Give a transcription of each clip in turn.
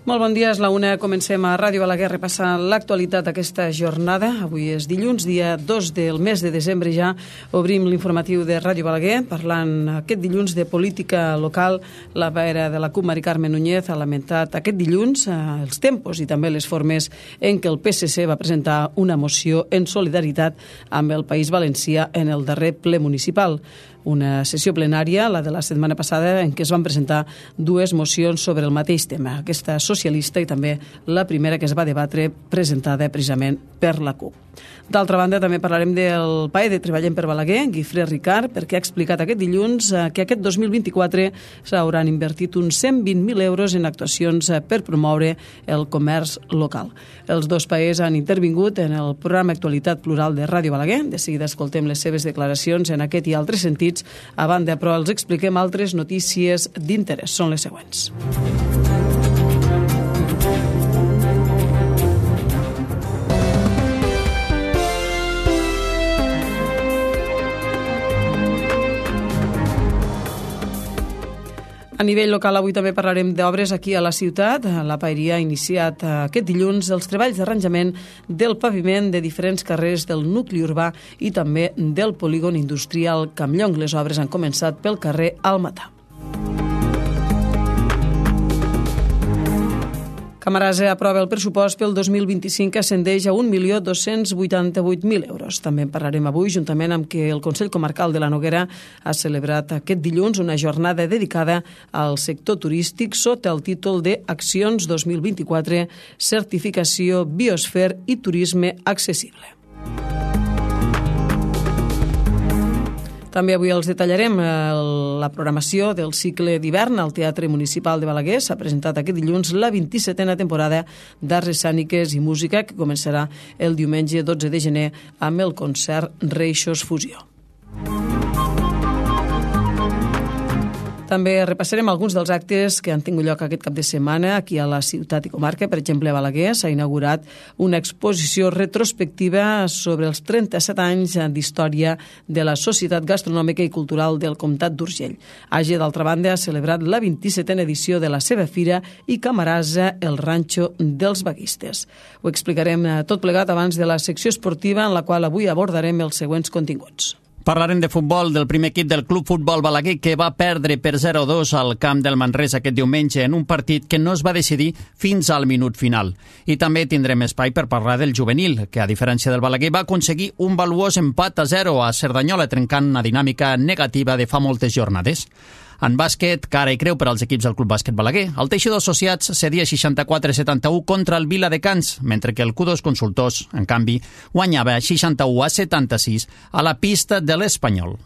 Molt bon dia, és la una. Comencem a Ràdio Balaguer repassant l'actualitat d'aquesta jornada. Avui és dilluns, dia 2 del mes de desembre ja. Obrim l'informatiu de Ràdio Balaguer parlant aquest dilluns de política local. La paera de la CUP, Mari Carme Núñez, ha lamentat aquest dilluns els tempos i també les formes en què el PSC va presentar una moció en solidaritat amb el País Valencià en el darrer ple municipal. Una sessió plenària, la de la setmana passada, en què es van presentar dues mocions sobre el mateix tema, aquesta socialista i també la primera que es va debatre presentada precisament per la CUP. D'altra banda, també parlarem del PAE de Treballem per Balaguer, Guifré Ricard, perquè ha explicat aquest dilluns que aquest 2024 s'hauran invertit uns 120.000 euros en actuacions per promoure el comerç local. Els dos PAEs han intervingut en el programa Actualitat Plural de Ràdio Balaguer. De seguida escoltem les seves declaracions en aquest i altres sentits. A banda, però, els expliquem altres notícies d'interès. Són les següents. A nivell local, avui també parlarem d'obres aquí a la ciutat. La paeria ha iniciat aquest dilluns els treballs d'arranjament del paviment de diferents carrers del nucli urbà i també del polígon industrial Campllong. Les obres han començat pel carrer Almatà. Camarasa aprova el pressupost pel 2025 que ascendeix a 1.288.000 euros. També en parlarem avui, juntament amb que el Consell Comarcal de la Noguera ha celebrat aquest dilluns una jornada dedicada al sector turístic sota el títol de Accions 2024, Certificació Biosfer i Turisme Accessible. També avui els detallarem la programació del cicle d'hivern al Teatre Municipal de Balaguer. S'ha presentat aquest dilluns la 27a temporada d'Arts Escèniques i Música, que començarà el diumenge 12 de gener amb el concert Reixos Fusió. També repassarem alguns dels actes que han tingut lloc aquest cap de setmana aquí a la ciutat i comarca. Per exemple, a Balaguer s'ha inaugurat una exposició retrospectiva sobre els 37 anys d'història de la Societat Gastronòmica i Cultural del Comtat d'Urgell. Àger, d'altra banda, ha celebrat la 27a edició de la seva fira i Camarasa, el ranxo dels vaguistes. Ho explicarem tot plegat abans de la secció esportiva, en la qual avui abordarem els següents continguts. Parlarem de futbol del primer equip del Club Futbol Balaguer, que va perdre per 0-2 al camp del Manresa aquest diumenge en un partit que no es va decidir fins al minut final. I també tindrem espai per parlar del juvenil, que a diferència del Balaguer va aconseguir un valuós empat a 0 a Cerdanyola, trencant una dinàmica negativa de fa moltes jornades. En bàsquet, cara i creu per als equips del Club Bàsquet Balaguer. El Teixidor Associats cedia 64-71 contra el Viladecans, mentre que el Q2 Consultors, en canvi, guanyava 61-76 a la pista de l'Espanyol.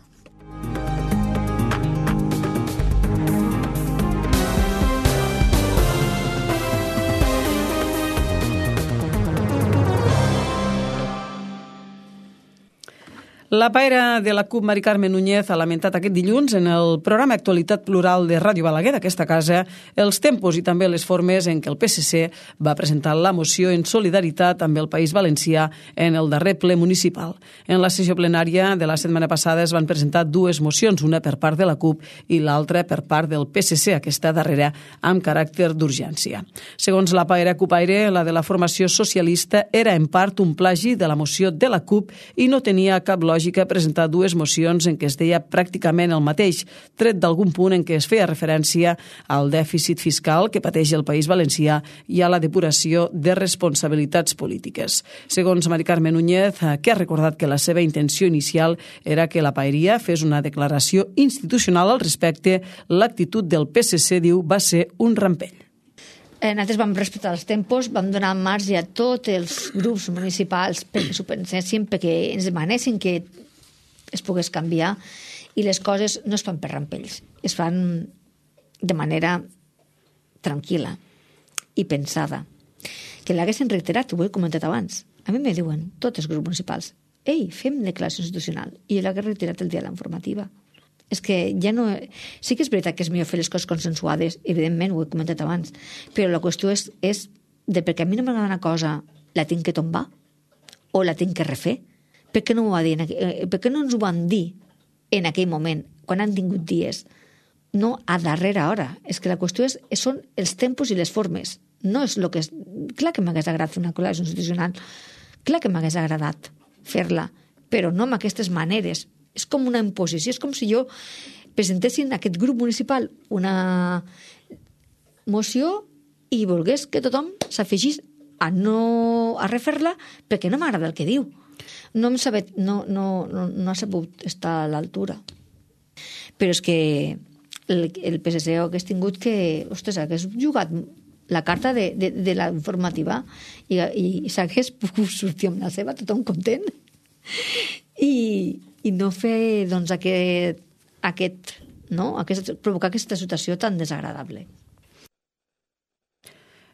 La paera de la CUP, Mari Carme Núñez, ha lamentat aquest dilluns en el programa Actualitat Plural de Ràdio Balaguer d'aquesta casa els tempos i també les formes en què el PSC va presentar la moció en solidaritat amb el País Valencià en el darrer ple municipal. En la sessió plenària de la setmana passada es van presentar dues mocions, una per part de la CUP i l'altra per part del PSC, aquesta darrera amb caràcter d'urgència. Segons la paera CUPaire, la de la formació socialista era en part un plagi de la moció de la CUP i no tenia cap lògica presentar dues mocions en què es deia pràcticament el mateix, tret d'algun punt en què es feia referència al dèficit fiscal que pateix el País Valencià i a la depuració de responsabilitats polítiques. Segons Mari Carme Núñez, que ha recordat que la seva intenció inicial era que la paeria fes una declaració institucional al respecte, l'actitud del PSC, diu, va ser un rampell. Nosaltres vam respectar els tempos, vam donar marge a tots els grups municipals perquè s'ho pensessin, perquè ens demanessin que es pogués canviar, i les coses no es fan per rampells, es fan de manera tranquil·la i pensada. Que l'haguessin reiterat, ho he comentat abans. A mi me diuen tots els grups municipals: ei, fem declaració institucional, i jo l'hagués reiterat el dia de la informativa. És que ja no... Sí que és veritat que és millor fer les coses consensuades, evidentment, ho he comentat abans, però la qüestió és de perquè a mi no m'agrada una cosa, la tinc que tombar o la tinc que refer. Per què no ho va dir? Per què no ens ho van dir en aquell moment, quan han tingut dies? No a darrera hora. És que la qüestió són els tempos i les formes. No és el que és... Clar que m'hagués agradat fer una col·laboració institucional, clar que m'hagués agradat fer-la, però no amb aquestes maneres. És com una imposició, és com si jo presentessin aquest grup municipal una moció i volgués que tothom s'afegís a refer-la perquè no m'agrada el que diu. No ha sabut estar a l'altura. Però és que el PSC hagués tingut que... Ostres, hagués jugat la carta de la informativa i s'hagués pogut sortir amb la seva, tothom content. I no fer, doncs, provocar aquesta situació tan desagradable.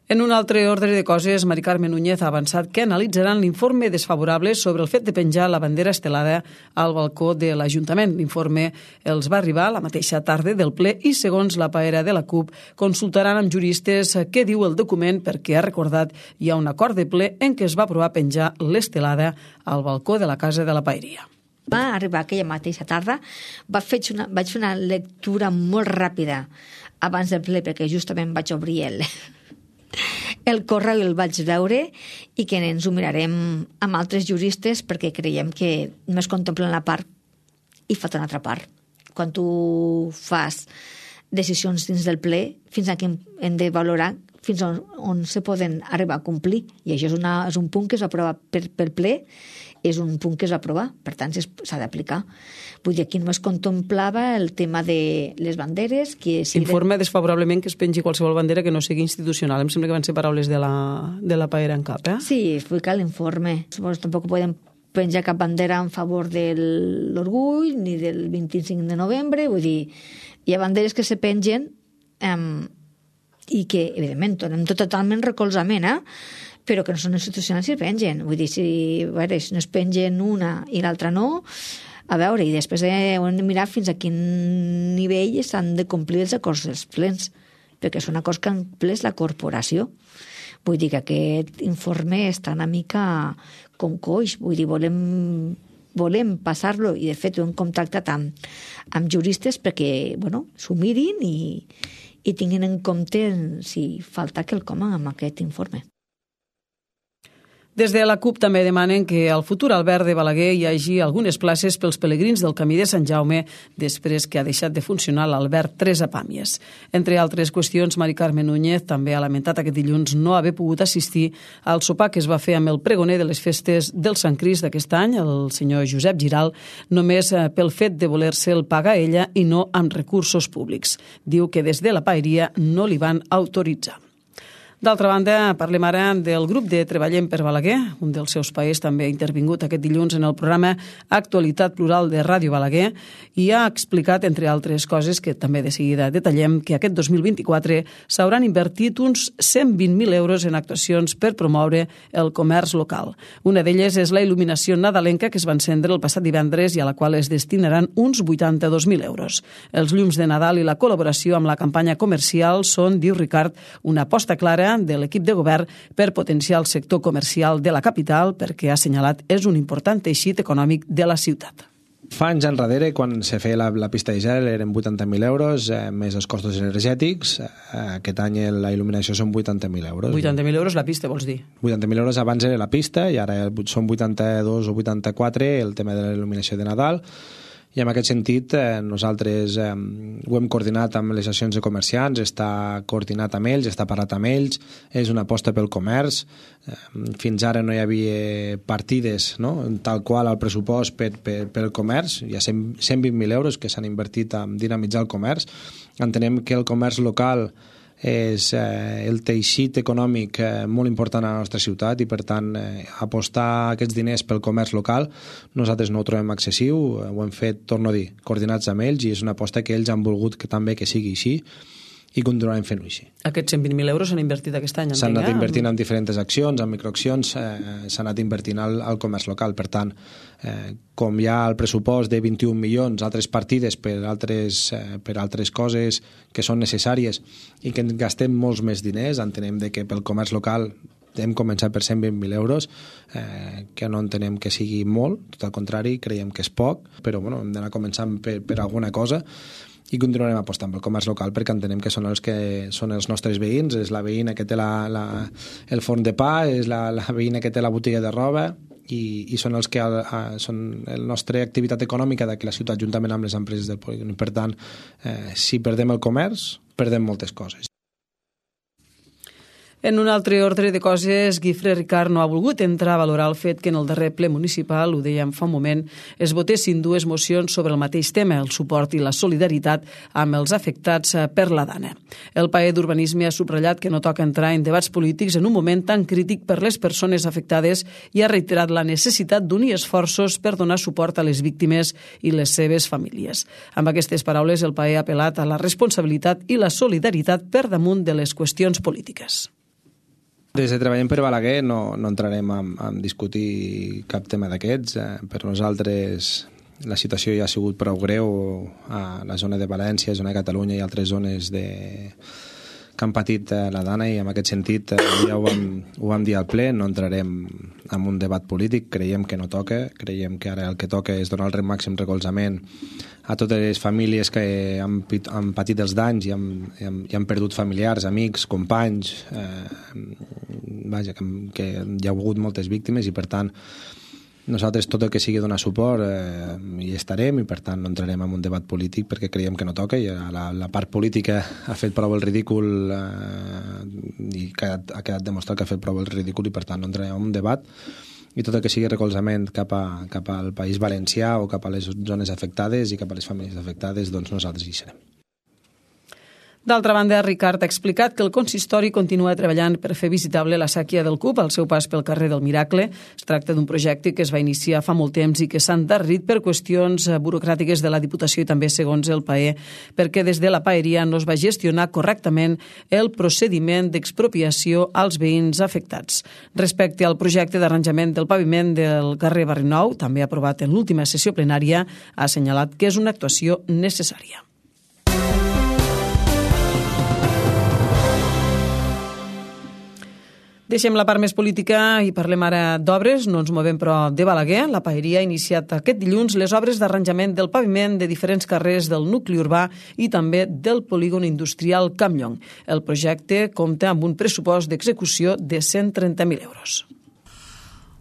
En un altre ordre de coses, Mari Carme Núñez ha avançat que analitzaran l'informe desfavorable sobre el fet de penjar la bandera estelada al balcó de l'Ajuntament. L'informe els va arribar la mateixa tarda del ple i, segons la paera de la CUP, consultaran amb juristes què diu el document perquè, ha recordat, hi ha un acord de ple en què es va aprovar penjar l'estelada al balcó de la Casa de la Paeria. Va arribar aquella mateixa tarda, vaig fer una lectura molt ràpida abans del ple perquè justament vaig obrir el correu i el vaig veure i que ens ho mirarem amb altres juristes perquè creiem que només contemplen la part i falta una altra part. Quan tu fas decisions dins del ple, fins a què hem de valorar fins on se poden arribar a complir. I això és un punt que es va aprovar pel ple, és un punt que es va aprovar, per tant s'ha d'aplicar. Vull dir, aquí només contemplava el tema de les banderes. Informe desfavorablement que es pengi qualsevol bandera que no sigui institucional. Em sembla que van ser paraules de la paera en cap, eh? Sí, explica l'informe. Tampoc podem penjar cap bandera en favor de l'orgull ni del 25 de novembre. Vull dir, hi ha banderes que se pengen i que, evidentment, donem totalment recolzament, però que no són institucionals i es pengen. Vull dir, si no es pengen una i l'altra no, a veure, i després hem de mirar fins a quin nivell s'han de complir els acords dels plens, perquè són acords que han ples la corporació. Vull dir que aquest informe està una mica com coix. Vull dir, volem passar-lo, i de fet ho hem contactat amb juristes perquè, s'ho mirin i tinguin en compte si falta quelcom amb aquest informe. Des de la CUP també demanen que al futur Albert de Balaguer hi hagi algunes places pels pelegrins del Camí de Sant Jaume després que ha deixat de funcionar l'Albert 3 a Pàmies. Entre altres qüestions, Mari Carme Núñez també ha lamentat aquest dilluns no haver pogut assistir al sopar que es va fer amb el pregoner de les festes del Sant Crist d'aquest any, el senyor Josep Giral, només pel fet de voler-se'l pagar ella i no amb recursos públics. Diu que des de la paeria no li van autoritzar. D'altra banda, parlem ara del grup de Treballem per Balaguer. Un dels seus paers també ha intervingut aquest dilluns en el programa Actualitat Plural de Ràdio Balaguer i ha explicat, entre altres coses, que també de seguida detallem, que aquest 2024 s'hauran invertit uns 120.000 euros en actuacions per promoure el comerç local. Una d'elles és la il·luminació nadalenca que es va encendre el passat divendres i a la qual es destinaran uns 82.000 euros. Els llums de Nadal i la col·laboració amb la campanya comercial són, diu Ricard, una aposta clara de l'equip de govern per potenciar el sector comercial de la capital perquè, ha assenyalat, és un important teixit econòmic de la ciutat. Fa anys enrere, quan se feia la pista de gel, eren 80.000 euros, més els costos energètics. Aquest any la il·luminació són 80.000 euros. 80.000 euros la pista, vols dir? 80.000 euros abans era la pista i ara són 82 o 84 el tema de la il·luminació de Nadal. I en aquest sentit nosaltres ho hem coordinat amb les associacions de comerciants, està coordinat amb ells, està parlat amb ells, és una aposta pel comerç. Fins ara no hi havia partides, no?, tal qual al pressupost pel comerç. Hi ha 120.000 euros que s'han invertit en dinamitzar el comerç. Entenem que el comerç local és el teixit econòmic molt important a la nostra ciutat i, per tant, apostar aquests diners pel comerç local nosaltres no ho trobem excessiu, ho hem fet, torno a dir, coordinats amb ells, i és una aposta que ells han volgut que també que sigui així i continuarem fent-ho així. Aquests 120.000 euros s'han invertit aquest any? S'han anat invertint en diferents accions, en microaccions, s'ha anat invertint al comerç local. Per tant, com hi ha el pressupost de 21 milions, altres partides per altres coses que són necessàries i que gastem molts més diners, entenem que pel comerç local hem començat per 120.000 euros, que no entenem que sigui molt, tot al contrari, creiem que és poc, però hem d'anar començant per alguna cosa. i continuarem apostant pel comerç local perquè entenem que són els nostres veïns, és la veïna que té el forn de pa, és la veïna que té la botiga de roba, i són els que són la nostra activitat econòmica d'aquí la ciutat juntament amb les empreses del polígon. Per tant, si perdem el comerç, perdem moltes coses. En un altre ordre de coses, Guifré Ricard no ha volgut entrar a valorar el fet que en el darrer ple municipal, ho dèiem fa un moment, es votessin dues mocions sobre el mateix tema, el suport i la solidaritat amb els afectats per la Dana. El PAE d'Urbanisme ha subratllat que no toca entrar en debats polítics en un moment tan crític per les persones afectades i ha reiterat la necessitat d'unir esforços per donar suport a les víctimes i les seves famílies. Amb aquestes paraules, el PAE ha apel·lat a la responsabilitat i la solidaritat per damunt de les qüestions polítiques. Des de Treballem per Balaguer no entrarem a discutir cap tema d'aquests. Per nosaltres la situació ja ha sigut prou greu a la zona de València, zona de Catalunya i altres zones que han patit la Dana, i en aquest sentit ja ho vam dir al ple, no entrarem en un debat polític, creiem que no toca, creiem que ara el que toca és donar el màxim recolzament a totes les famílies que han patit els danys i han perdut familiars, amics, companys, que hi ha hagut moltes víctimes, i per tant nosaltres tot el que sigui donar suport hi estarem, i per tant no entrarem en un debat polític perquè creiem que no toca, i la part política ha fet prou el ridícul i ha quedat demostrat que ha fet prou el ridícul, i per tant no entrarem en un debat, i tot el que sigui recolzament cap al País Valencià o cap a les zones afectades i cap a les famílies afectades, doncs nosaltres hi serem. D'altra banda, Ricard ha explicat que el consistori continua treballant per fer visitable la sèquia del Cup al seu pas pel carrer del Miracle. Es tracta d'un projecte que es va iniciar fa molt temps i que s'ha endarrerit per qüestions burocràtiques de la Diputació i també, segons el PAE, perquè des de la paeria no es va gestionar correctament el procediment d'expropiació als veïns afectats. Respecte al projecte d'arranjament del paviment del carrer Barri Nou, també aprovat en l'última sessió plenària, ha assenyalat que és una actuació necessària. Deixem la part més política i parlem ara d'obres. No ens movem, però, de Balaguer. La paeria ha iniciat aquest dilluns les obres d'arranjament del paviment de diferents carrers del nucli urbà i també del polígon industrial Campllong. El projecte compta amb un pressupost d'execució de 130.000 euros.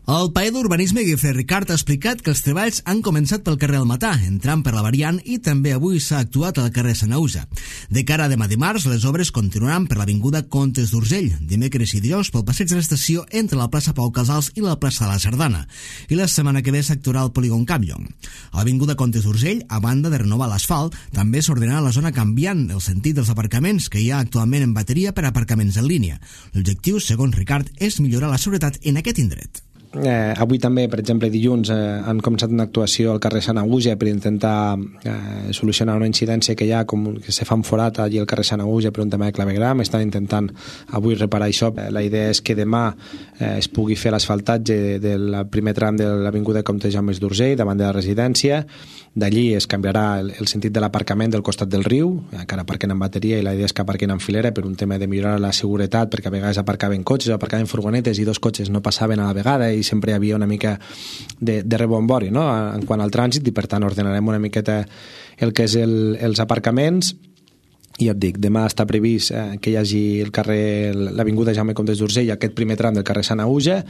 El PAE d'Urbanisme, Guifré Ricard, ha explicat que els treballs han començat pel carrer del Matà, entrant per la variant, i també avui s'ha actuat al carrer Sanauja. De cara a demà dimarts, les obres continuaran per l'avinguda Comtes d'Urgell, dimecres i dijous pel passeig de l'estació entre la plaça Pau Casals i la plaça de la Sardana, i la setmana que ve s'actuarà al polígon Campllong. A l'avinguda Comtes d'Urgell, a banda de renovar l'asfalt, també s'ordenarà la zona canviant el sentit dels aparcaments que hi ha actualment en bateria per aparcaments en línia. L'objectiu, segons Ricard, és millorar la seguretat en aquest indret. Avui també, per exemple, dilluns han començat una actuació al carrer Sanaüja per intentar solucionar una incidència que hi ha, com que se fa un forat allí al carrer Sanaüja per un tema de clavegram. Estan intentant avui reparar això. La idea és que demà es pugui fer l'asfaltatge del primer tram de l'avinguda Comte Jaume d'Urgell davant de la residència. D'allí es canviarà el sentit de l'aparcament del costat del riu, encara aparquen en bateria, i la idea és que aparquen en filera per un tema de millorar la seguretat, perquè a vegades aparcaven cotxes, aparcaven furgonetes i dos cotxes no passaven a la vegada i sempre hi havia una mica de rebombori, no?, en quant al trànsit, i per tant ordenarem una miqueta el que és els aparcaments. I et dic, demà està previst que hi hagi l'avinguda Jaume Comtes d'Urgell, aquest primer tram del carrer Sanaüja.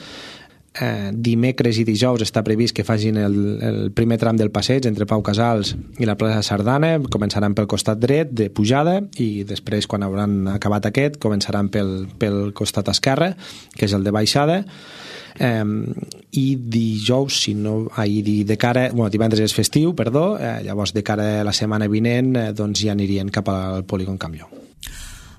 Dimecres i dijous està previst que facin el primer tram del passeig entre Pau Casals i la plaça Sardana. Començaran pel costat dret de pujada i després, quan hauran acabat aquest, començaran pel costat esquerre, que és el de baixada. I dijous, divendres és festiu, llavors de cara a la setmana vinent doncs ja anirien cap al polígon Campllong.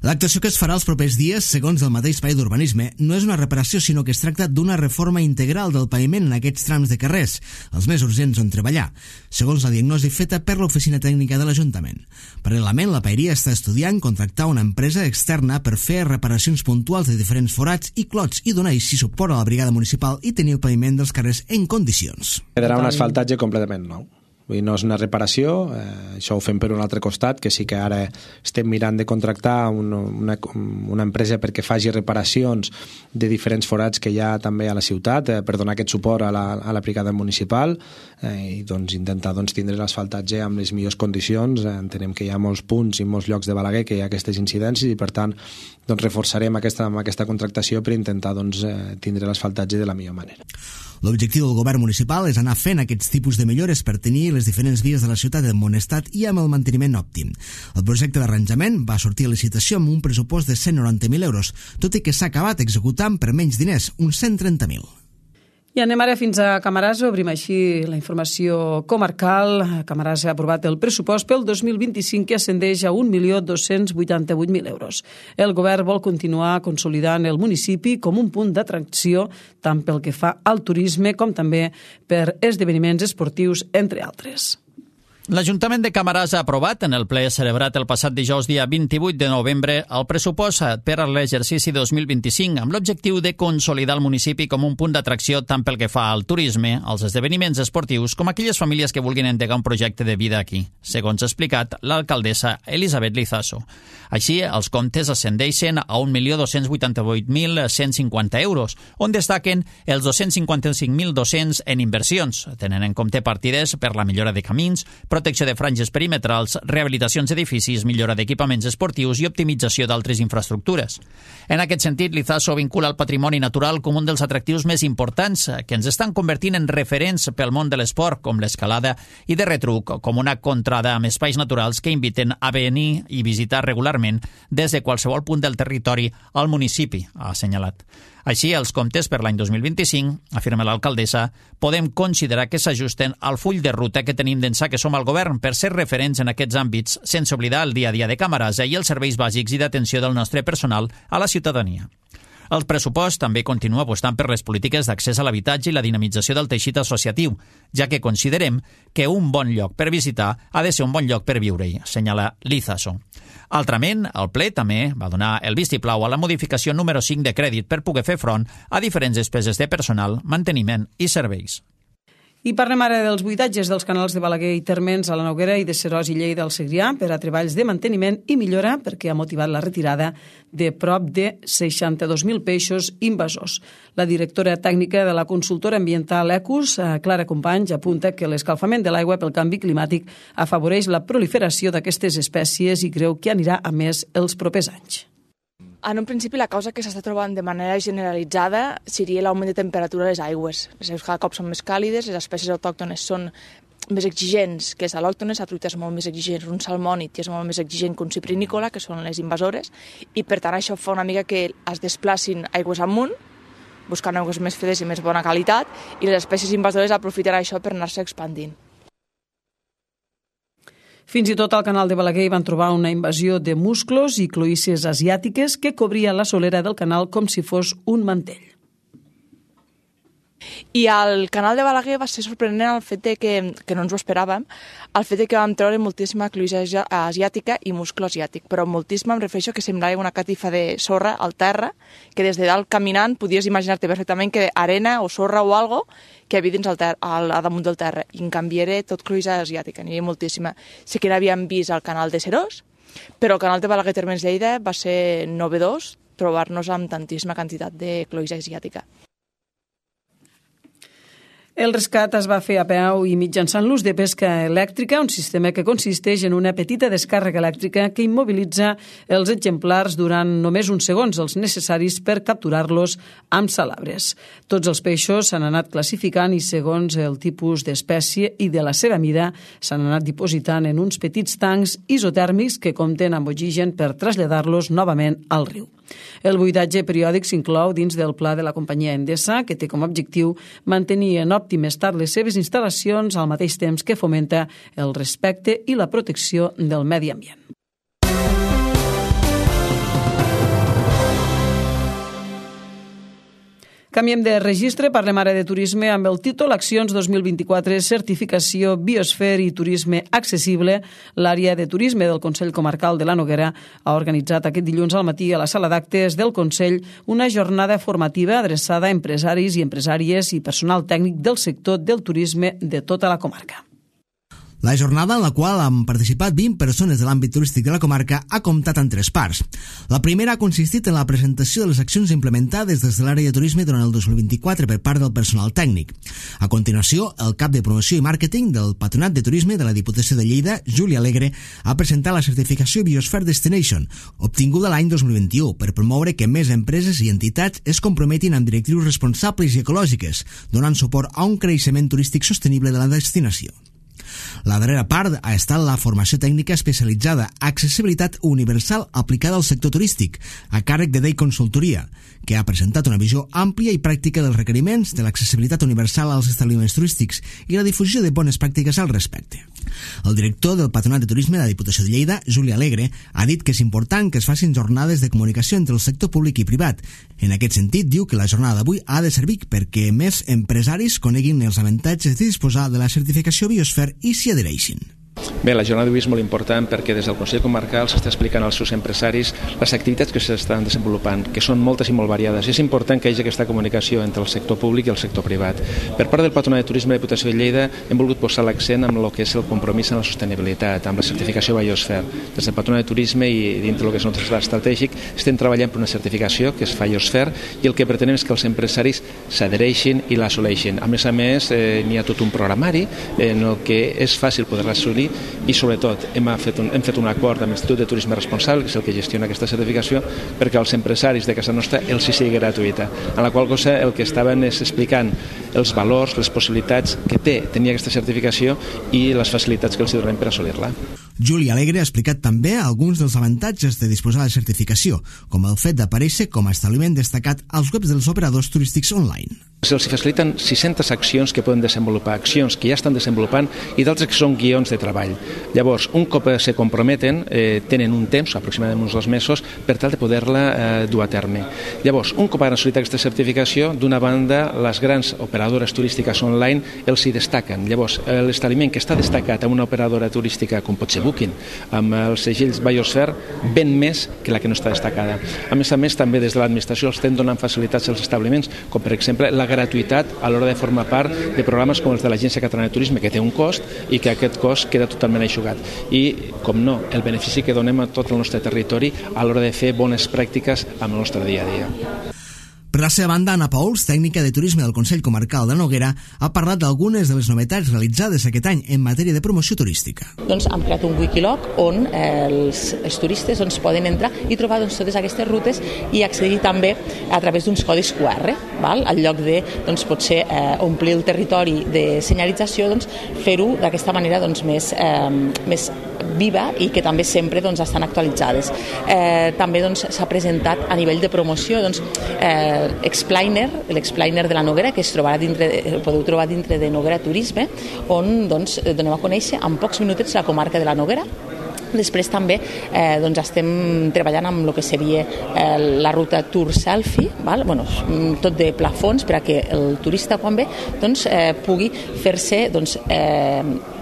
L'actuació que es farà els propers dies, segons el mateix PAE d'Urbanisme, no és una reparació, sinó que es tracta d'una reforma integral del paviment en aquests trams de carrers, els més urgents on treballar, segons la diagnosi feta per l'Oficina Tècnica de l'Ajuntament. Paral·lelament, la paeria està estudiant contractar una empresa externa per fer reparacions puntuals de diferents forats i clots i donar així suport a la brigada municipal i tenir el paviment dels carrers en condicions. Quedarà un asfaltatge completament nou. Vull dir, no és una reparació, això ho fem per un altre costat, que sí que ara estem mirant de contractar una empresa perquè faci reparacions de diferents forats que hi ha també a la ciutat per donar aquest suport a la brigada municipal i doncs, intentar tindre l'asfaltatge amb les millors condicions. Entenem que hi ha molts punts i molts llocs de Balaguer que hi ha aquestes incidències i per tant reforçarem aquesta contractació per intentar tindre l'asfaltatge de la millor manera. L'objectiu del govern municipal és anar fent aquests tipus de millores per tenir les diferents vies de la ciutat en bon estat i amb el manteniment òptim. El projecte d'arranjament va sortir a licitació amb un pressupost de 190.000 euros, tot i que s'ha acabat executant per menys diners, uns 130.000. I anem ara fins a Camarasa, obrim així la informació comarcal. Camarasa ha aprovat el pressupost pel 2025 que ascendeix a 1.288.000 euros. El govern vol continuar consolidant el municipi com un punt d'atracció tant pel que fa al turisme com també per esdeveniments esportius, entre altres. L'Ajuntament de Camarasa ha aprovat en el ple celebrat el passat dijous dia 28 de novembre el pressupost per a l'exercici 2025 amb l'objectiu de consolidar el municipi com un punt d'atracció tant pel que fa al turisme, als esdeveniments esportius com aquelles famílies que vulguin endegar un projecte de vida aquí, segons ha explicat l'alcaldessa Elisabet Lizaso. Així, els comptes ascendeixen a 1.288.150 euros, on destaquen els 255.200 en inversions, tenint en compte partides per la millora de camins, protecció de franges perimetrals, rehabilitacions d'edificis, millora d'equipaments esportius i optimització d'altres infraestructures. En aquest sentit, Lizaso vincula el patrimoni natural com un dels atractius més importants que ens estan convertint en referents pel món de l'esport, com l'escalada, i de retruc, com una contrada amb espais naturals que inviten a venir i visitar regularment des de qualsevol punt del territori al municipi, ha assenyalat. Així, els comptes per l'any 2025, afirma l'alcaldessa, podem considerar que s'ajusten al full de ruta que tenim d'ençà que som al govern per ser referents en aquests àmbits, sense oblidar el dia a dia de Camarasa i els serveis bàsics i d'atenció del nostre personal a la ciutadania. El pressupost també continua apostant per les polítiques d'accés a l'habitatge i la dinamització del teixit associatiu, ja que considerem que un bon lloc per visitar ha de ser un bon lloc per viure-hi, assenyala Lizaso. Altrament, el ple també va donar el vistiplau a la modificació número 5 de crèdit per poder fer front a diferents despeses de personal, manteniment i serveis. I parlem ara dels buidatges dels canals de Balaguer i Térmens a la Noguera i de Seròs i Lleida al Segrià per a treballs de manteniment i millora perquè ha motivat la retirada de prop de 62.000 peixos invasors. La directora tècnica de la consultora ambiental Ecus, Clara Companys, apunta que l'escalfament de l'aigua pel canvi climàtic afavoreix la proliferació d'aquestes espècies i creu que anirà a més els propers anys. En un principi, la causa que s'està trobant de manera generalitzada seria l'augment de temperatura de les aigües. Les aigües cada cop són més càlides, les espècies autòctones són més exigents que les al·lòctones, la truita és molt més exigent, un salmònid és molt més exigent que un ciprinícola, que són les invasores, i per tant això fa una mica que es desplacin aigües amunt, buscant aigües més fredes i més bona qualitat, i les espècies invasores aprofitaran això per anar-se expandint. Fins i tot al canal de Balaguer van trobar una invasió de musclos i cloïsses asiàtiques que cobria la solera del canal com si fos un mantell. I al canal de Balaguer va ser sorprenent el fet que no ens ho esperàvem, el fet que vam treure moltíssima cloïssa asiàtica i musclo asiàtic, però moltíssima em refereixo que semblava una catifa de sorra al terra, que des de dalt caminant podies imaginar-te perfectament que arena o sorra o algo que hi havia dins a damunt del terra, i en canvi era tot cloïssa asiàtica, n'hi havia moltíssima. Sí que n'havíem vist al canal de Seròs, però el canal de Balaguer Térmens Lleida va ser novedós trobar-nos amb tantíssima quantitat de cloïssa asiàtica. El rescat es va fer a peu i mitjançant l'ús de pesca elèctrica, un sistema que consisteix en una petita descàrrega elèctrica que immobilitza els exemplars durant només uns segons, els necessaris per capturar-los amb salabres. Tots els peixos s'han anat classificant i segons el tipus d'espècie i de la seva mida s'han anat dipositant en uns petits tancs isotèrmics que compten amb oxigen per traslladar-los novament al riu. El buidatge periòdic s'inclou dins del pla de la companyia Endesa, que té com a objectiu mantenir en òptim estat les seves instal·lacions al mateix temps que fomenta el respecte i la protecció del medi ambient. Canviem de registre, parlem ara de turisme amb el títol Accions 2024, certificació Biosfer i turisme accessible. L'àrea de turisme del Consell Comarcal de la Noguera ha organitzat aquest dilluns al matí a la sala d'actes del Consell una jornada formativa adreçada a empresaris i empresàries i personal tècnic del sector del turisme de tota la comarca. La jornada, en la qual han participat 20 persones de l'àmbit turístic de la comarca, ha comptat en 3 parts. La primera ha consistit en la presentació de les accions implementades des de l'àrea de turisme durant el 2024 per part del personal tècnic. A continuació, el cap de promoció i màrqueting del Patronat de Turisme de la Diputació de Lleida, Juli Alegre, ha presentat la certificació Biosphere Destination, obtinguda l'any 2021, per promoure que més empreses i entitats es comprometin amb directrius responsables i ecològiques, donant suport a un creixement turístic sostenible de la destinació. La darrera part ha estat la formació tècnica especialitzada Accessibilitat Universal aplicada al sector turístic, a càrrec de DEI Consultoria, que ha presentat una visió àmplia i pràctica dels requeriments de l'accessibilitat universal als establiments turístics i la difusió de bones pràctiques al respecte. El director del Patronat de Turisme de la Diputació de Lleida, Juli Alegre, ha dit que és important que es facin jornades de comunicació entre el sector públic i privat. En aquest sentit, diu que la jornada d'avui ha de servir perquè més empresaris coneguin els avantatges de disposar de la certificació Biosphere i s'hi adhereixin. Bé, la jornada d'avui és molt important perquè des del Consell Comarcal s'està explicant als seus empresaris les activitats que s'estan desenvolupant, que són moltes i molt variades. I és important que hi hagi aquesta comunicació entre el sector públic i el sector privat. Per part del Patronat de Turisme de la Diputació de Lleida hem volgut posar l'accent en el que és el compromís en la sostenibilitat, amb la certificació Biosphere. Des del Patronat de Turisme i dintre del que és el nostre pla estratègic estem treballant per una certificació que és Biosphere i el que pretenem és que els empresaris s'adhereixin i l'assoleixin. A més, n'hi ha tot un programari en el que és fàcil poder-la assolir i sobretot hem fet un acord amb l'Institut de Turisme Responsable, que és el que gestiona aquesta certificació, perquè als empresaris de casa nostra els sigui gratuïta, en la qual cosa el que estaven és explicant els valors, les possibilitats que té tenir aquesta certificació i les facilitats que els donem per assolir-la. Juli Alegre ha explicat també alguns dels avantatges de disposar de certificació, com el fet d'aparèixer com a establiment destacat als webs dels operadors turístics online. Se'ls faciliten 600 accions que poden desenvolupar, accions que ja estan desenvolupant i d'altres que són guions de treball. Llavors, un cop se comprometen, tenen un temps, aproximadament uns 2 mesos, per tal de poder-la dur a terme. Llavors, un cop han assolit aquesta certificació, d'una banda, les grans operadores turístiques online els hi destaquen. Llavors, l'establiment que està destacat amb una operadora turística, com pot ser Booking, amb els segells Biosphere, ven més que la que no està destacada. A més, també des de l'administració els estem donant facilitats als establiments, com per exemple la gratuïtat a l'hora de formar part de programes com els de l'Agència Catalana de Turisme, que té un cost i que aquest cost queda totalment eixugat. I, com no, el benefici que donem a tot el nostre territori a l'hora de fer bones pràctiques amb el nostre dia a dia. Per la seva banda, Anna Pauls, tècnica de turisme del Consell Comarcal de Noguera, ha parlat d'algunes de les novetats realitzades aquest any en matèria de promoció turística. Hem creat un Wikiloc on els turistes poden entrar i trobar totes aquestes rutes i accedir també a través d'uns codis QR. Al lloc de potser omplir el territori de senyalització, fer-ho d'aquesta manera més viva i que també sempre estan actualitzades. També s'ha presentat a nivell de promoció l'explainer de la Noguera, que podeu trobar dintre de Noguera Turisme, on donem a conèixer en pocs minutets la comarca de la Noguera. Després també estem treballant amb el que seria la ruta Tour Selfie, tot de plafons per a que el turista quan ve pugui fer-se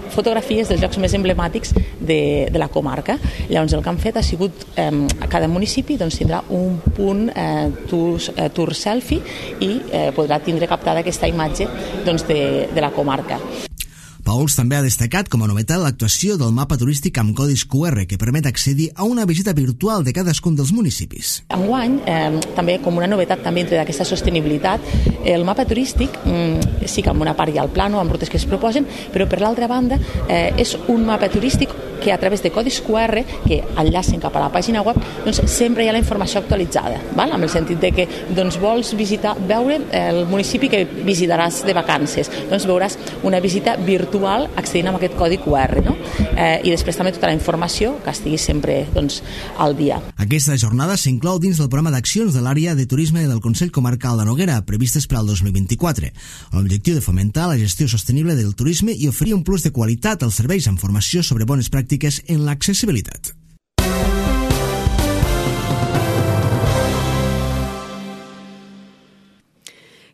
fotografies dels llocs més emblemàtics de la comarca. Llavors el que han fet ha sigut a cada municipi tindrà un punt tour selfie i podrà tindre captada aquesta imatge de la comarca. Pauls també ha destacat com a novetat l'actuació del mapa turístic amb codis QR que permet accedir a una visita virtual de cadascun dels municipis. Enguany, també com una novetat també entre aquesta sostenibilitat, el mapa turístic sí que amb una part hi ha el plano, amb rutes que es proposen, però per l'altra banda és un mapa turístic que a través de codis QR que enllacen cap a la pàgina web sempre hi ha la informació actualitzada, amb el sentit de que vols veure el municipi que visitaràs de vacances, veuràs una visita virtual accedint amb aquest codi QR, i després també tota la informació que estigui sempre al dia. Aquesta jornada s'inclou dins del programa d'accions de l'àrea de turisme del Consell Comarcal de Noguera previstes per al 2024, amb l'objectiu de fomentar la gestió sostenible del turisme i oferir un plus de qualitat als serveis amb formació sobre bones pràctiques en l'accessibilitat.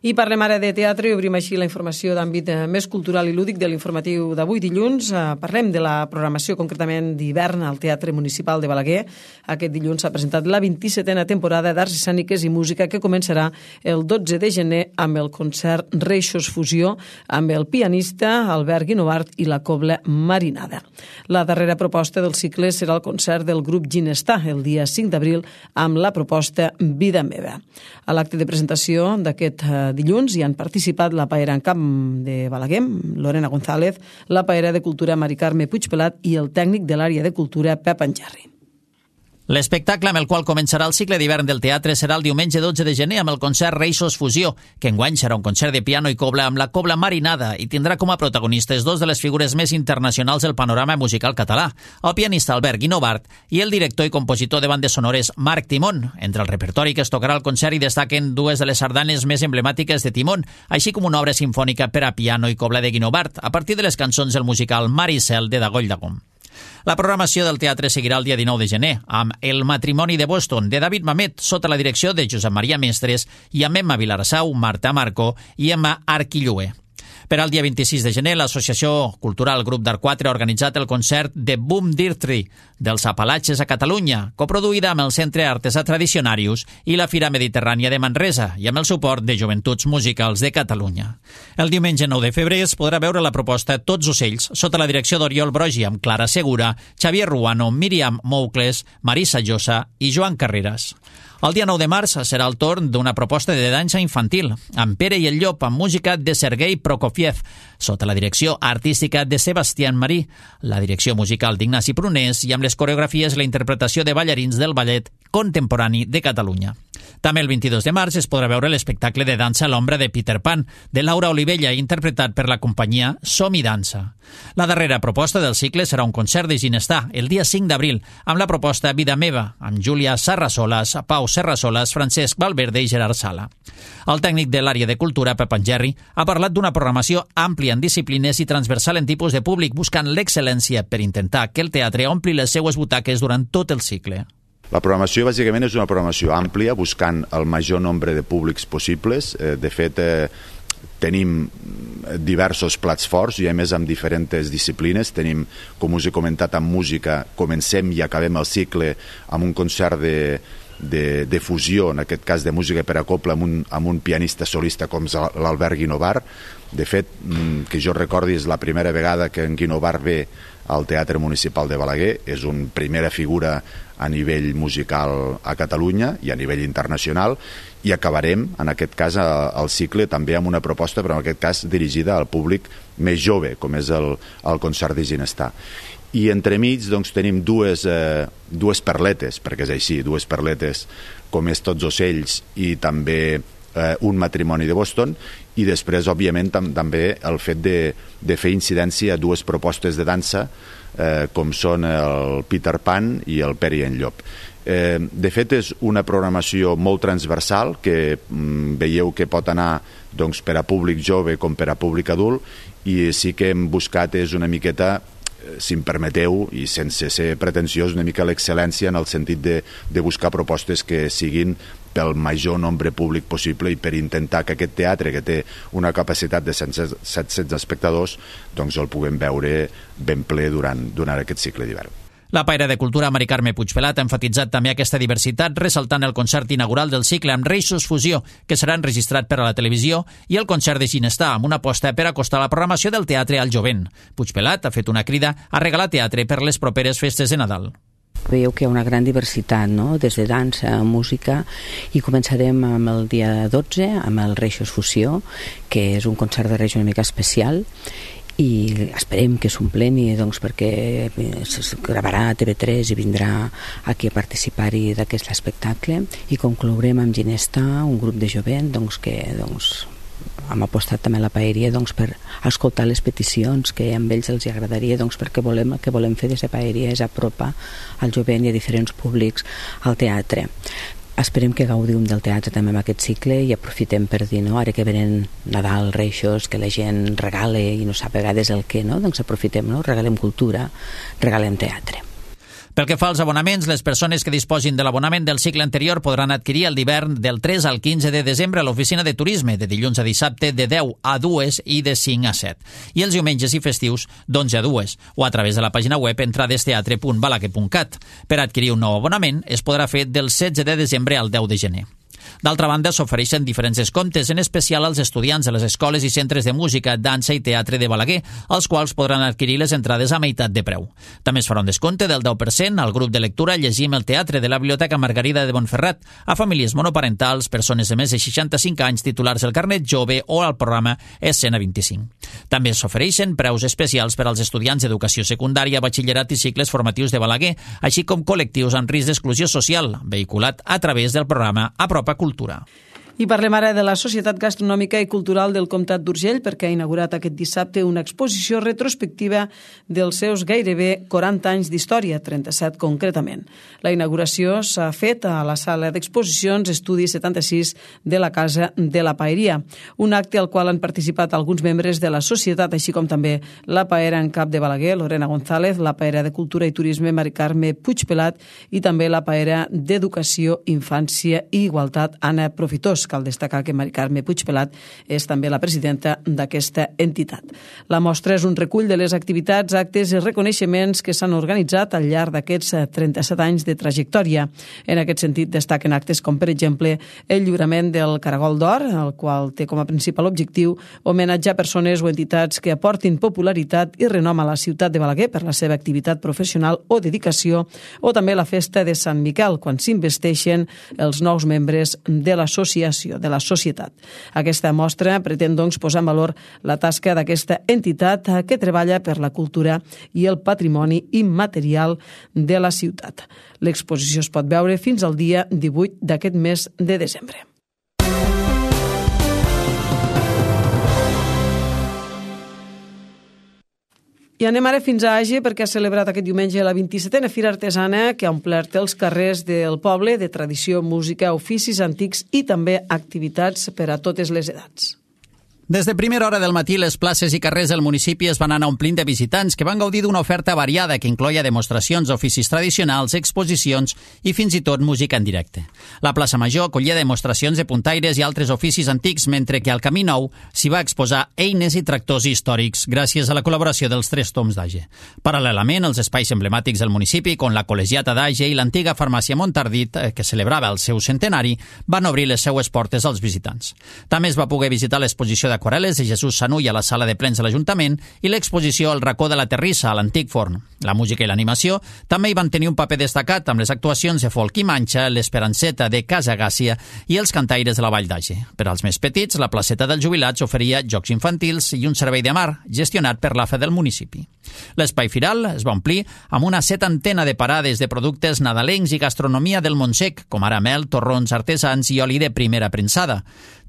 I parlem ara de teatre i obrim així la informació d'àmbit més cultural i lúdic de l'informatiu d'avui dilluns. Parlem de la programació concretament d'hivern al Teatre Municipal de Balaguer. Aquest dilluns s'ha presentat la 27a temporada d'Arts Escèniques i Música que començarà el 12 de gener amb el concert Reixos Fusió amb el pianista Albert Guinovart i la cobla Marinada. La darrera proposta del cicle serà el concert del grup Ginestà el dia 5 d'abril amb la proposta Vida Meva. A l'acte de presentació d'aquest dilluns hi han participat la paera en camp de Balaguer, Lorena González, la paera de cultura Mari Carme Puigpelat i el tècnic de l'àrea de cultura Pep Anjarri. L'espectacle amb el qual començarà el cicle d'hivern del teatre serà el diumenge 12 de gener amb el concert Reixos Fusió, que enguany serà un concert de piano i cobla amb la cobla Marinada i tindrà com a protagonistes dos de les figures més internacionals del panorama musical català, el pianista Albert Guinovart i el director i compositor de bandes sonores Marc Timón. Entre el repertori que es tocarà al concert hi destaquen dues de les sardanes més emblemàtiques de Timón, així com una obra sinfònica per a piano i cobla de Guinovart, a partir de les cançons del musical Mar i Cel de Dagoll d'Agom. La programació del teatre seguirà el dia 19 de gener amb El matrimoni de Boston, de David Mamet, sota la direcció de Josep Maria Mestres i amb Emma Vilarassau, Marta Marco i Emma Arquillué. Per al dia 26 de gener, l'Associació Cultural Grup d'Art 4 ha organitzat el concert de Boom Dirtri dels Apalatges a Catalunya, coproduïda amb el Centre Artesà Tradicionarius i la Fira Mediterrània de Manresa i amb el suport de Joventuts Musicals de Catalunya. El diumenge 9 de febrer es podrà veure la proposta Tots ocells, sota la direcció d'Oriol Brogi, amb Clara Segura, Xavier Ruano, Míriam Moucles, Marisa Llosa i Joan Carreras. El dia 9 de març serà el torn d'una proposta de dansa infantil, amb Pere i el Llop, amb música de Sergei Prokofiev, sota la direcció artística de Sebastián Marí, la direcció musical d'Ignasi Prunés i amb les coreografies i la interpretació de ballarins del Ballet Contemporani de Catalunya. També el 22 de març es podrà veure l'espectacle de dansa a l'ombra de Peter Pan, de Laura Olivella, interpretat per la companyia Som i Dansa. La darrera proposta del cicle serà un concert de Ginestà, el dia 5 d'abril, amb la proposta Vida Meva, amb Júlia Sarrasolas, Pau Serrasolas, Francesc Valverde i Gerard Sala. El tècnic de l'àrea de cultura, Pep Anjarri, ha parlat d'una programació àmplia en disciplines i transversal en tipus de públic, buscant l'excel·lència per intentar que el teatre ompli les seues butaques durant tot el cicle. La programació bàsicament és una programació àmplia, buscant el major nombre de públics possibles. De fet, tenim diversos plats forts i a més amb diferents disciplines. Tenim, com us he comentat, amb música, comencem i acabem el cicle amb un concert de fusió, en aquest cas de música per a cobla, amb un pianista solista com l'Albert Guinovart. De fet, que jo recordi, és la primera vegada que en Guinovart ve al Teatre Municipal de Balaguer. És una primera figura a nivell musical a Catalunya i a nivell internacional, i acabarem, en aquest cas, el cicle també amb una proposta, però en aquest cas dirigida al públic més jove, com és el concert de Ginestà. I entremig doncs, tenim dues perletes, perquè és així, dues perletes com és Tots ocells i també Un matrimoni de Boston, i després, òbviament, també el fet de fer incidència a dues propostes de dansa com són el Peter Pan i el Pere i en Llop. De fet, és una programació molt transversal que veieu que pot anar doncs, per a públic jove com per a públic adult, i sí que hem buscat és una miqueta, si em permeteu, i sense ser pretensiós, una mica l'excel·lència en el sentit de buscar propostes que siguin pel major nombre públic possible i per intentar que aquest teatre, que té una capacitat de 700 espectadors, doncs el puguem veure ben ple durant aquest cicle d'hivern. La paera de cultura Mari Carme Puigpelat ha enfatitzat també aquesta diversitat, ressaltant el concert inaugural del cicle amb Reixos Fusió, que serà enregistrat per a la televisió, i el concert de Ginestà, amb una aposta per acostar la programació del teatre al jovent. Puigpelat ha fet una crida a regalar teatre per les properes festes de Nadal. Veieu que hi ha una gran diversitat, no? Des de dansa, música, i començarem amb el dia 12, amb el Reixos Fusió, que és un concert de Reis una mica especial, i esperem que s'ompleni, doncs, perquè es gravarà a TV3 i vindrà aquí a participar-hi d'aquest espectacle, i conclourem amb Ginestà, un grup de jovent que hem apostat també a la paeria per escoltar les peticions que a ells els agradaria, perquè el que volem fer des de paeria és apropar al jovent i a diferents públics al teatre. Esperem que gaudim del teatre també en aquest cicle i aprofitem per dir, no? Ara que venen Nadal, Reixos, que la gent regala i no sap a vegades el què, no? Doncs aprofitem, no? Regalem cultura, regalem teatre. Pel que fa als abonaments, les persones que disposin de l'abonament del cicle anterior podran adquirir el d'hivern del 3 al 15 de desembre a l'oficina de turisme, de dilluns a dissabte de 10 a 2 i de 5 a 7, i els diumenges i festius d'11 a 2, o a través de la pàgina web entradesteatre.balaguer.cat. Per adquirir un nou abonament es podrà fer del 16 de desembre al 10 de gener. D'altra banda, s'ofereixen diferents descomptes, en especial als estudiants de les escoles i centres de música, dansa i teatre de Balaguer, els quals podran adquirir les entrades a meitat de preu. També es farà un descompte del 10% al grup de lectura Llegim el teatre de la Biblioteca Margarida de Montferrat, a famílies monoparentals, persones de més de 65 anys titulars del carnet jove o al programa Escena 25. També s'ofereixen preus especials per als estudiants d'educació secundària, batxillerat i cicles formatius de Balaguer, així com col·lectius amb risc d'exclusió social, vehiculat a través del programa Apropa Cultura. I parlem ara de la Societat Gastronòmica i Cultural del Comtat d'Urgell, perquè ha inaugurat aquest dissabte una exposició retrospectiva dels seus gairebé 40 anys d'història, 37 concretament. La inauguració s'ha fet a la sala d'exposicions Estudi 76 de la Casa de la Paeria, un acte al qual han participat alguns membres de la societat, així com també la paera en cap de Balaguer, Lorena González, la paera de Cultura i Turisme, Mari Carme Puigpelat, i també la paera d'Educació, Infància i Igualtat, Anna Profitós. Cal destacar que Mari Carme Puigpelat és també la presidenta d'aquesta entitat. La mostra és un recull de les activitats, actes i reconeixements que s'han organitzat al llarg d'aquests 37 anys de trajectòria. En aquest sentit, destaquen actes com, per exemple, el lliurament del Caragol d'Or, el qual té com a principal objectiu homenatjar persones o entitats que aportin popularitat i renom a la ciutat de Balaguer per la seva activitat professional o dedicació, o també la festa de Sant Miquel, quan s'investeixen els nous membres de l'associació, de la societat. Aquesta mostra pretén, doncs, posar en valor la tasca d'aquesta entitat que treballa per la cultura i el patrimoni immaterial de la ciutat. L'exposició es pot veure fins al dia 18 d'aquest mes de desembre. I anem ara fins a Àger, perquè ha celebrat aquest diumenge la 27a Fira Artesana, que ha omplert els carrers del poble de tradició, música, oficis antics i també activitats per a totes les edats. Des de primera hora del matí, les places i carrers del municipi es van anar omplint de visitants que van gaudir d'una oferta variada que incloïa demostracions d'oficis tradicionals, exposicions i fins i tot música en directe. La plaça Major acollia demostracions de puntaires i altres oficis antics, mentre que al Camí Nou s'hi va exposar eines i tractors històrics gràcies a la col·laboració dels 3 toms d'Àger. Paral·lelament, els espais emblemàtics del municipi, com la Col·legiata d'Àger i l'antiga farmàcia Montardit, que celebrava el seu centenari, van obrir les seues portes als visitants. També es va poder visitar l'exposició d'aquarel·les de Jesús Sanull a la sala de plens de l'Ajuntament i l'exposició al racó de la Terrissa, a l'antic forn. La música i l'animació també hi van tenir un paper destacat amb les actuacions de folk i manxa, l'Esperanceta de Casa Gàcia i els cantaires de la Vall d'Àger. Per als més petits, la placeta dels jubilats oferia jocs infantils i un servei de mar gestionat per l'AFE del municipi. L'espai firal es va omplir amb una 70 de parades de productes nadalencs i gastronomia del Montsec, com ara mel, torrons artesans i oli de primera premsada.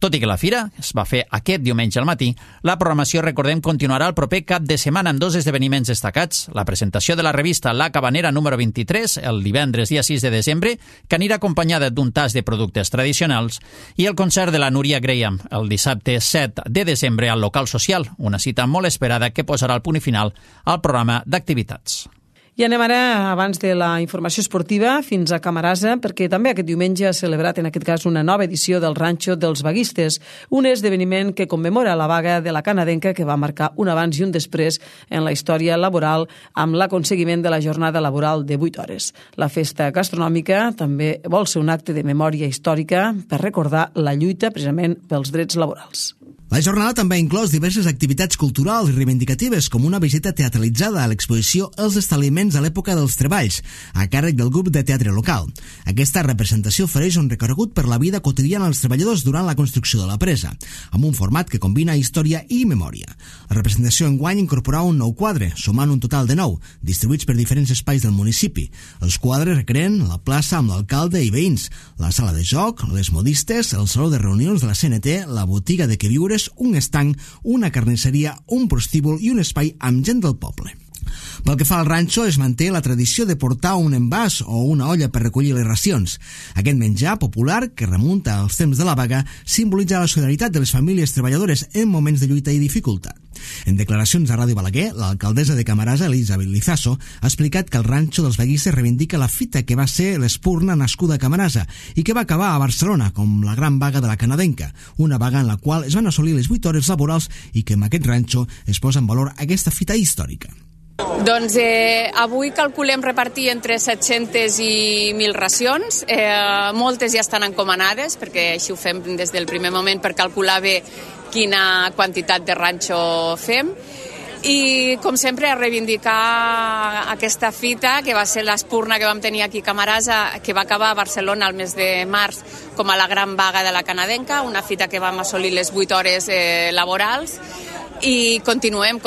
Tot i que la fira es va fer aquest diumenge al matí, la programació, recordem, continuarà el proper cap de setmana amb 2 esdeveniments destacats. La presentació de la revista La Cabanera número 23, el divendres dia 6 de desembre, que anirà acompanyada d'un tas de productes tradicionals, i el concert de la Núria Graham, el dissabte 7 de desembre al local social, una cita molt esperada que posarà el punt final al programa d'activitats. I anem ara, abans de la informació esportiva, fins a Camarasa, perquè també aquest diumenge ha celebrat, en aquest cas, una nova edició del Ranxo dels Vaguistes, un esdeveniment que commemora la vaga de la canadenca que va marcar un abans i un després en la història laboral amb l'aconseguiment de la jornada laboral de 8 hores. La festa gastronòmica també vol ser un acte de memòria històrica per recordar la lluita precisament pels drets laborals. La jornada també ha inclòs diverses activitats culturals i reivindicatives, com una visita teatralitzada a l'exposició Els establiments a l'època dels treballs, a càrrec del grup de teatre local. Aquesta representació ofereix un recorregut per la vida quotidiana dels treballadors durant la construcció de la presa, amb un format que combina història i memòria. La representació enguany incorporava un nou quadre, sumant un total de 9, distribuïts per diferents espais del municipi. Els quadres recreen la plaça amb l'alcalde i veïns, la sala de joc, les modistes, el saló de reunions de la CNT, la botiga de queviures, un estanc, una carnisseria, un prostíbul i un espai amb gent del poble. Pel que fa al ranxo, es manté la tradició de portar un envàs o una olla per recollir les racions. Aquest menjar popular, que remunta als temps de la vaga, simbolitza la solidaritat de les famílies treballadores en moments de lluita i dificultat. En declaracions a Ràdio Balaguer, l'alcaldessa de Camarasa, Elisabet Lizaso, ha explicat que el ranxo dels vaguistes reivindica la fita que va ser l'Espurna nascuda a Camarasa i que va acabar a Barcelona com la gran vaga de la canadenca, una vaga en la qual es van assolir les 8 hores laborals i que en aquest ranxo es posa en valor aquesta fita històrica. Doncs avui calculem repartir entre 700 i 1.000 racions. Moltes ja estan encomanades, perquè així ho fem des del primer moment per calcular bé quina quantitat de ranxo fem. I, com sempre, a reivindicar aquesta fita, que va ser l'Espurna que vam tenir aquí a Camarasa, que va acabar a Barcelona el mes de març com a la gran vaga de la canadenca, una fita que vam assolir les 8 hores laborals. I continuem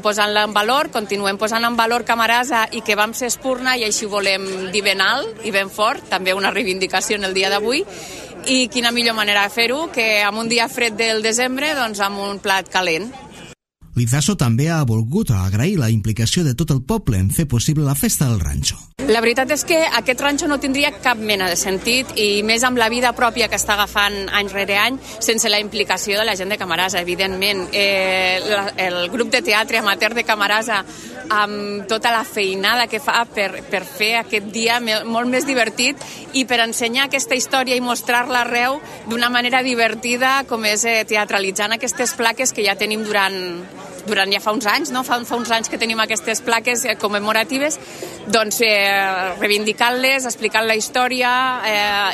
posant-la en valor, continuem posant en valor Camarasa i que vam ser Espurna, i així ho volem dir ben alt i ben fort, també una reivindicació en el dia d'avui. I quina millor manera de fer-ho que amb un dia fred del desembre, doncs amb un plat calent. Lizaso també ha volgut agrair la implicació de tot el poble en fer possible la festa del ranxo. La veritat és que aquest ranxo no tindria cap mena de sentit, i més amb la vida pròpia que està agafant any rere any, sense la implicació de la gent de Camarasa, evidentment. El grup de teatre amateur de Camarasa, amb tota la feinada que fa per fer aquest dia molt més divertit i per ensenyar aquesta història i mostrar-la arreu d'una manera divertida, com és teatralitzant aquestes plaques que ja tenim durant ja fa uns anys, no? Fa uns anys que tenim aquestes plaques commemoratives, doncs reivindicant-les, explicant la història,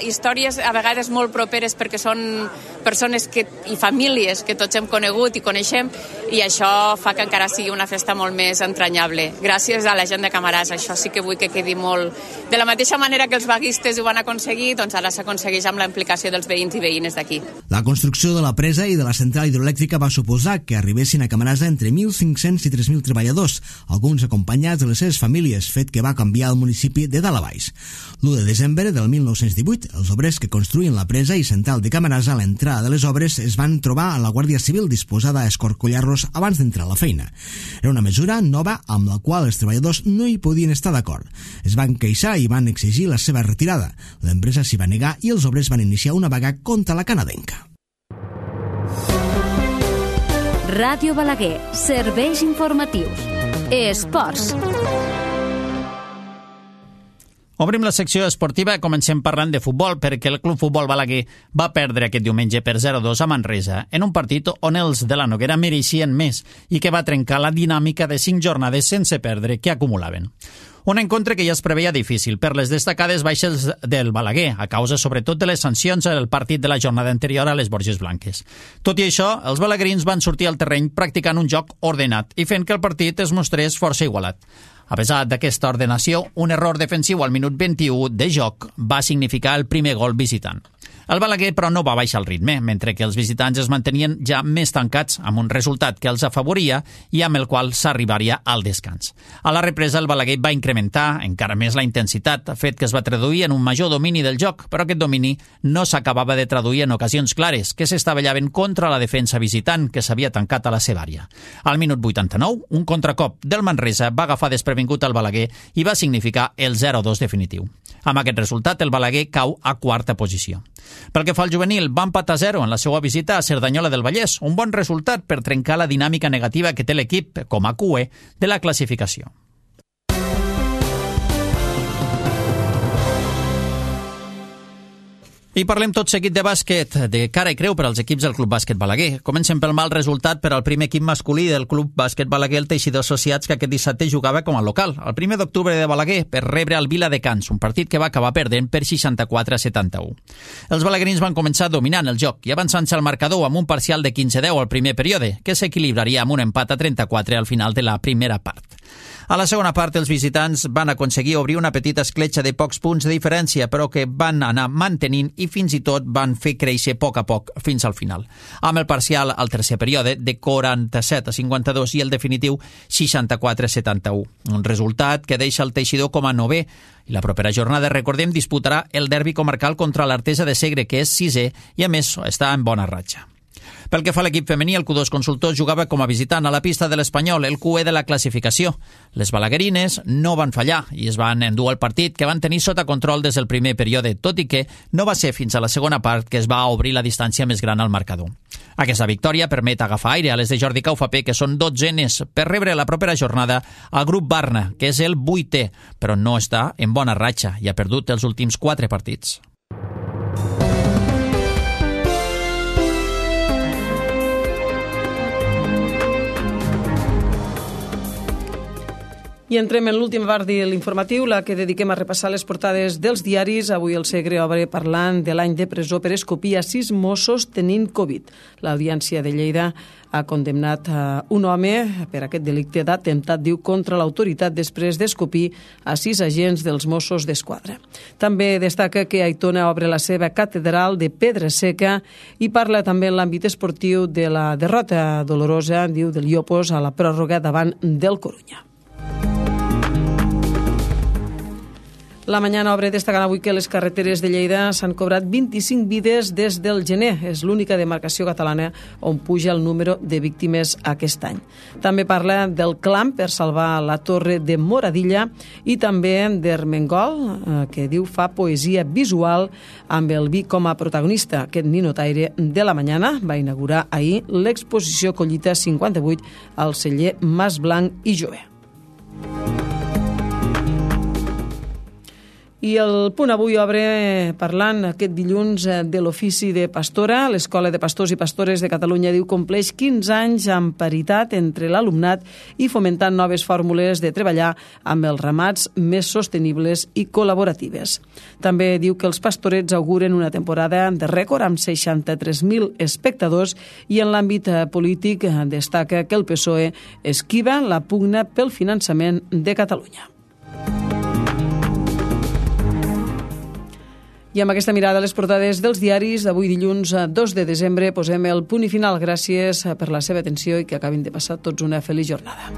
històries a vegades molt properes perquè són persones i famílies que tots hem conegut i coneixem, i això fa que encara sigui una festa molt més entranyable. Gràcies a la gent de Camarasa, això sí que vull que quedi molt... De la mateixa manera que els vaguistes ho van aconseguir, doncs ara s'aconsegueix amb la implicació dels veïns i veïnes d'aquí. La construcció de la presa i de la central hidroelèctrica va suposar que arribessin a Camarasa entre 1.500 i 3.000 treballadors, alguns acompanyats de les seves famílies, fet que va canviar el municipi de dalt a baix. L'1 de desembre del 1918, els obrers que construïen la presa i central de Camarasa a l'entrada de les obres es van trobar a la Guàrdia Civil disposada a escorcollar-los abans d'entrar a la feina. Era una mesura nova amb la qual els treballadors no hi podien estar d'acord. Es van queixar i van exigir la seva retirada. L'empresa s'hi va negar i els obrers van iniciar una vaga contra la canadenca. Ràdio Balaguer, serveis informatius. Esports. Obrim la secció esportiva i comencem parlant de futbol, perquè el Club Futbol Balaguer va perdre aquest diumenge per 0-2 a Manresa, en un partit on els de la Noguera mereixien més i que va trencar la dinàmica de 5 jornades sense perdre que acumulaven. Un encontre que ja es preveia difícil per les destacades baixes del Balaguer, a causa sobretot de les sancions al partit de la jornada anterior a les Borges Blanques. Tot i això, els balaguerins van sortir al terreny practicant un joc ordenat i fent que el partit es mostrés força igualat. A pesar d'aquesta ordenació, un error defensiu al minut 21 de joc va significar el primer gol visitant. El Balaguer, però, no va baixar el ritme, mentre que els visitants es mantenien ja més tancats, amb un resultat que els afavoria i amb el qual s'arribaria al descans. A la represa, el Balaguer va incrementar encara més la intensitat, fet que es va traduir en un major domini del joc, però aquest domini no s'acabava de traduir en ocasions clares, que s'estavellaven contra la defensa visitant, que s'havia tancat a la seva àrea. Al minut 89, un contracop del Manresa va agafar desprevingut al Balaguer i va significar el 0-2 definitiu. Amb aquest resultat, el Balaguer cau a quarta posició. Pel que fa al juvenil, va empatar 0 en la seva visita a Cerdanyola del Vallès, un bon resultat per trencar la dinàmica negativa que té l'equip com a QE de la classificació. I parlem tot seguit de bàsquet, de cara i creu per als equips del Club Bàsquet Balaguer. Comencem pel mal resultat per al primer equip masculí del Club Bàsquet Balaguer, el Teixidor Associats, que aquest dissabte jugava com a local, el 1 d'octubre de Balaguer, per rebre el Viladecans, un partit que va acabar perdent per 64-71. Els balaguerins van començar dominant el joc i avançant-se al marcador amb un parcial de 15-10 al primer període, que s'equilibraria amb un empat a 34 al final de la primera part. A la segona part, els visitants van aconseguir obrir una petita escletxa de pocs punts de diferència, però que van anar mantenint i fins i tot van fer créixer a poc fins al final. Amb el parcial al tercer període de 47-52 i el definitiu 64-71. Un resultat que deixa el Teixidor com a 9è i la propera jornada, recordem, disputarà el derbi comarcal contra l'Artesa de Segre, que és 6è i a més està en bona ratxa. Pel que fa a l'equip femení, el Q2 Consultors jugava com a visitant a la pista de l'Espanyol, el QE de la classificació. Les balaguerines no van fallar i es van endur el partit, que van tenir sota control des del primer període, tot i que no va ser fins a la segona part que es va obrir la distància més gran al marcador. Aquesta victòria permet agafar aire a les de Jordi Caufapé, que són 12enes, per rebre la propera jornada al grup Barna, que és el 8è, però no està en bona ratxa i ha perdut els últims 4 partits. I entrem en l'última part de l'informatiu, la que dediquem a repassar les portades dels diaris. Avui el Segre obre parlant de l'any de presó per escopir a 6 Mossos tenint Covid. L'Audiència de Lleida ha condemnat un home per aquest delicte d'atemptat, diu, contra l'autoritat després d'escopir a 6 agents dels Mossos d'Esquadra. També destaca que Aitona obre la seva catedral de pedra seca i parla també en l'àmbit esportiu de la derrota dolorosa, diu, del Llopos a la pròrroga davant del Corunya. La Mañana obre destacant avui que les carreteres de Lleida s'han cobrat 25 vides des del gener. És l'única demarcació catalana on puja el número de víctimes aquest any. També parla del clam per salvar la torre de Moradilla i també d'Ermengol, que diu fa poesia visual amb el vi com a protagonista. Aquest ninotaire de La Mañana va inaugurar ahir l'exposició Collita 58 al celler Mas Blanc i Jové. I el Punt Avui obre parlant aquest dilluns de l'ofici de pastora. L'Escola de Pastors i Pastores de Catalunya, diu, compleix 15 anys amb paritat entre l'alumnat i fomentant noves fórmules de treballar amb els ramats més sostenibles i col·laboratives. També diu que els pastorets auguren una temporada de rècord amb 63.000 espectadors i en l'àmbit polític destaca que el PSOE esquiva la pugna pel finançament de Catalunya. I amb aquesta mirada a les portades dels diaris d'avui dilluns 2 de desembre posem el punt i final. Gràcies per la seva atenció i que acabin de passar tots una feliç jornada.